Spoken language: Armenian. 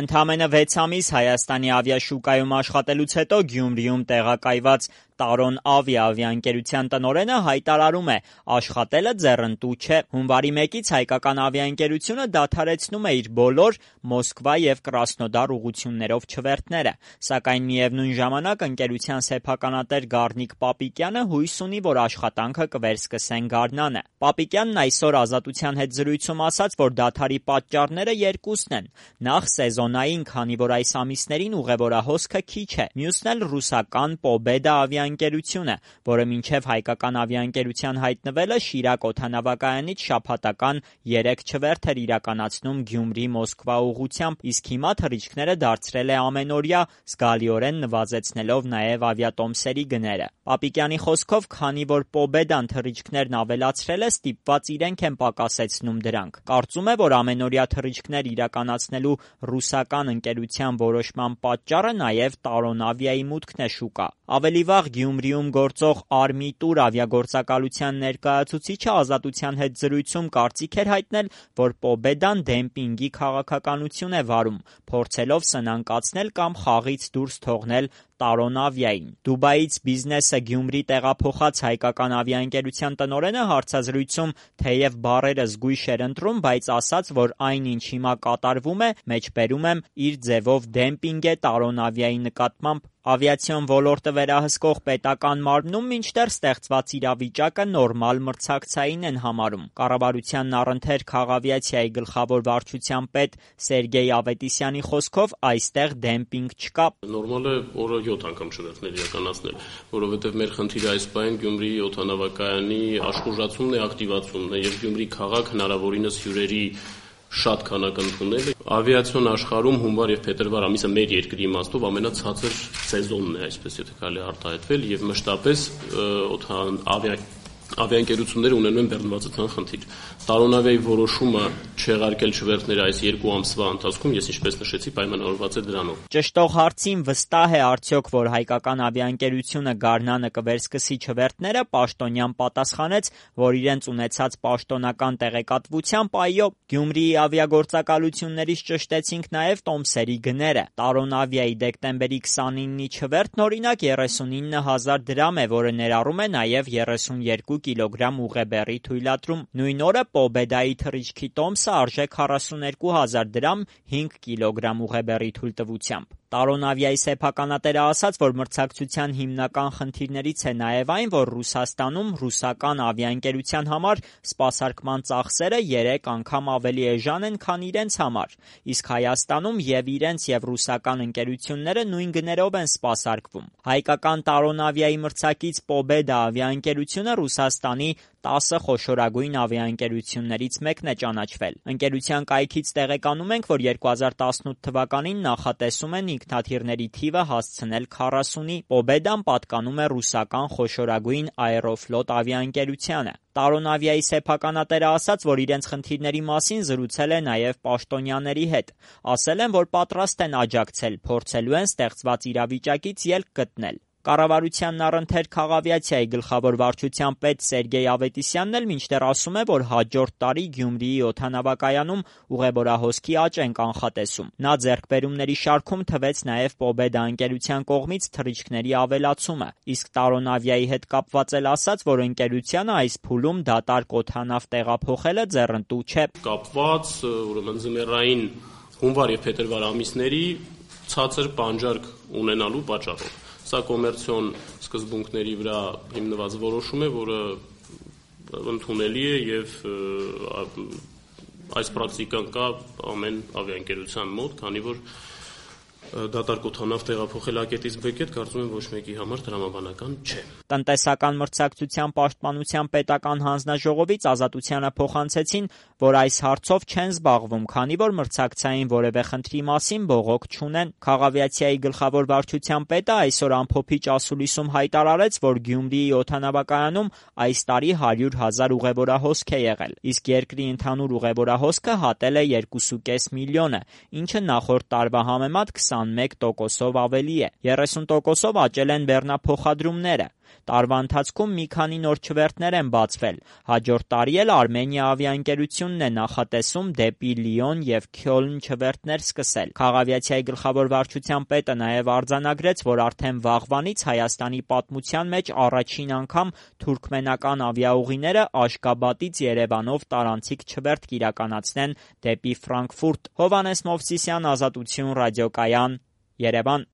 Ընդամենը 6 ամիս Հայաստանի ավիաշուկայում աշխատելուց հետո Գյումրիում տեղակայված Տարոն ավիաընկերության տնօրենը հայտարարում է՝ աշխատելը ձեռնտու չէ։ Հունվարի 1-ից հայկական ավիաընկերությունը դադարեցնում է իր բոլոր Մոսկվա եւ Կրասնոդար ուղղություններով չվերթները, սակայն միևնույն ժամանակ ընկերության սեփականատեր Գառնիկ Պապիկյանը հույս ունի, որ աշխատանքը կվերսկսեն գարնանը։ Պապիկյանն այսօր Ազատության հետ զրույցում ասաց, որ դադարի պատճառները երկուսն են։ Նախ սեզոնային, քանի որ այս ամիսներին ուղևորահոսքը քիչ է, մյուսն էլ ռուսական Պոբեդա ավիաընկերությունը, որը մինչև հայկական ավիաընկերության հայտնվելը Շիրակ օդանավակայանից շաբաթական 3 չվերթ էր իրականացնում Գյումրի-Մոսկվա ուղղությամբ, իսկ հիմա թռիչքները դարձրել է ամենօրյա, զգալիորեն նվազեցնելով նաև ավիատոմսերի գները։ Պապիկյանի խոսքով, քանի որ Պոբեդան թռիչքներն ավելացրել է, ստիպված իրենք են պակասեցնում դրանք։ Կարծում է, որ ամենօրյա թռիչքներ իրականացնելու ռուսական ընկերության որոշման պատճառը նաև Տարոն ավիայի մուտքն է շուկա։ Ավելի վաղ Գյումրիում գործող Արմիտուր ավիագործակալության ներկայացուցիչը Ազատության հետ զրույցում կարծիք էր հայտնել, որ Պոբեդան դեմպինգի քաղաքականություն է վարում, փորձելով սնանկացնել կամ խաղից դուրս թողնել Տարոն ավիային։ Դուբայից Բիզնեսը Գյումրի տեղափոխած հայկական ավիաընկերության տնօրենը հարցազրույցում թեև բառերը զգույշ էր ընտրում, բայց ասաց, որ այն, ինչ հիմա կատարվում է, մեջբերում եմ, իր ձևով դեմպինգ է Տարոն ավիայի նկատմամբ։ Ավիացիոն ոլորտը վերահսկող պետական մարմնում մինչդեռ ստեղծված իրավիճակը նորմալ մրցակցային են համարում։ Կառավարության առընթեր քաղավիացիայի գլխավոր վարչության պետ Սերգեյ Ավետիսյանի խոսքով այստեղ դեմպինգ չկա։ Նորմալ է օրը 7 անգամ չվերթներ իրականացնել, որովհետև մեր խնդիրը այս պահին Գյումրի օդանավակայանի աշխուժացումն է, ակտիվացումն է եւ Գյումրի քաղաք հնարավորինս հյուրերի շատ քանակ ընդունելը։ Ավիացիոն աշխարհում հունվար եւ փետրվար ամիսը մեր երկրի իմաստով ամենացածր սեզոնն է, այսպես եթե կարելի արտահայտվել, եւ մշտապես ավիաընկերությունները ունենում են բեռնվածության խնդիր։ Տարոն ավիայի որոշումը չեղարկել չվերթները այս 2 ամսվա ընթացքում, ես ինչպես նշեցի, պայմանավորված է դրանով։ Ճշտող հարցին վստահ է արդյոք, որ հայկական ավիաընկերությունը գարնանը կվերսկսի չվերթները, Պաշտոնյան պատասխանեց, որ իրենց ունեցած պաշտոնական տեղեկատվությամբ այո, Գյումրիի ավիագործակալություններից ճշտեցինք նաև տոմսերի գները։ Տարոն ավիայի դեկտեմբերի 29-ի չվերթն օրինակ 39,000 դրամ է, որը ներառում է նաև 32 կիլոգրամ ուղեբեռի թույլատրում։ Նույն օրը Պոբեդայի թռիչքի տոմսը արժե 42,000 դրամ 5 կիլոգրամ ուղեբեռի թույլտվությամբ։ Տարոն ավիայի սեփականատերը ասաց, որ մրցակցության հիմնական խնդիրներից է նաև այն, որ Ռուսաստանում ռուսական ավիաընկերության համար սպասարկման ծախսերը 3 անգամ ավելի էժան են, քան իրենց համար, իսկ Հայաստանում եւ իրենց եւ ռուսական ընկերությունները նույն գներով են սպասարկվում։ Հայկական Տարոն ավիայի մրցակից Պոբեդա ավիաընկերությունը Ռուսաստանի 10 խոշորագույն ավիաընկերություններից մեկն է ճանաչվել։ Ընկերության կայքից տեղեկանում ենք, որ 2018 թվականին նախատեսում են ինքնաթիռների թիվը հասցնել 40-ի։ Պոբեդան պատկանում է ռուսական խոշորագույն Aeroflot ավիաընկերությանը։ Տարոն ավիայի սեփականատերը ասաց, որ իրենց խնդիրների մասին զրուցել է նաև պաշտոնյաների հետ։ Ասել են, որ պատրաստ են աջակցել, փորձելու են ստեղծված իրավիճակից ելք գտնել։ Կառավարությանն առընթեր քաղավիացիայի գլխավոր վարչության պետ Սերգեյ Ավետիսյանն էլ մինչդեռ ասում է, որ հաջորդ տարի Գյումրիի օդանավակայանում ուղևորահոսքի աճ են կանխատեսում։ Նա ձեռքբերումների շարքում թվեց նաև Պոբեդա ընկերության կողմից թռիչքների ավելացումը, իսկ Տարոն ավիայի հետ կապված էլ ասաց, որ ընկերությանը այս փուլում դատարկ օդանավ տեղափոխելը ձեռնտու չէ։ Կապված ուրեմն ձմեռային հունվար եւ փետրվար ամիսների ցածր պանջարկ ունենալու պատճառով։ Սա կոմերցիոն սկզբունքների վրա հիմնված որոշում է, որը ընդունելի է եւ այս պրակտիկան կա ամեն ավիաընկերության մոտ, քանի որ դատարկ օդանավ տեղափոխել ակետից բեկետ, կարծում եմ ոչ մեկի համար տրամաբանական չէ։ Տնտեսական մրցակցության պաշտպանության պետական հանձնաժողովից Ազատությանը փոխանցեցին, որ այս հարցով չեն զբաղվում, քանի որ մրցակցային որևէ խնդրի մասին բողոք չունեն։ Քաղավիացիայի գլխավոր վարչության պետը այսօր ամփոփիչ ասուլիսում հայտարարեց, որ Գյումրիի օդանավակայանում այս տարի 100,000 ուղևորահոսք է եղել, իսկ երկրի ընդհանուր ուղևորահոսքը հատել է 2,5 միլիոնը, ինչը նախորդ տարվա համեմատ 21%-ով ավելի է։ 30%-ով աճել են բեռնափոխադրումները։ Տարվա ընթացքում մի քանի նոր չվերթներ են բացվել։ Հաջորդ տարի էլ Armenia ավիաընկերությունն է նախատեսում դեպի Լիոն և Քյոլն չվերթներ սկսել։ Քաղավիացիայի գլխավոր վարչության պետը նաև արձանագրեց, որ արդեն վաղվանից Հայաստանի պատմության մեջ առաջին անգամ թուրքմենական ավիաուղիները Աշգաբադից Երևանով տարանցիկ չվերթ կիրականացնեն դեպի Ֆրանկֆուրտ։ Հովհաննես Մովսիսյան, Ազատություն ռադիոկայան, Երևան։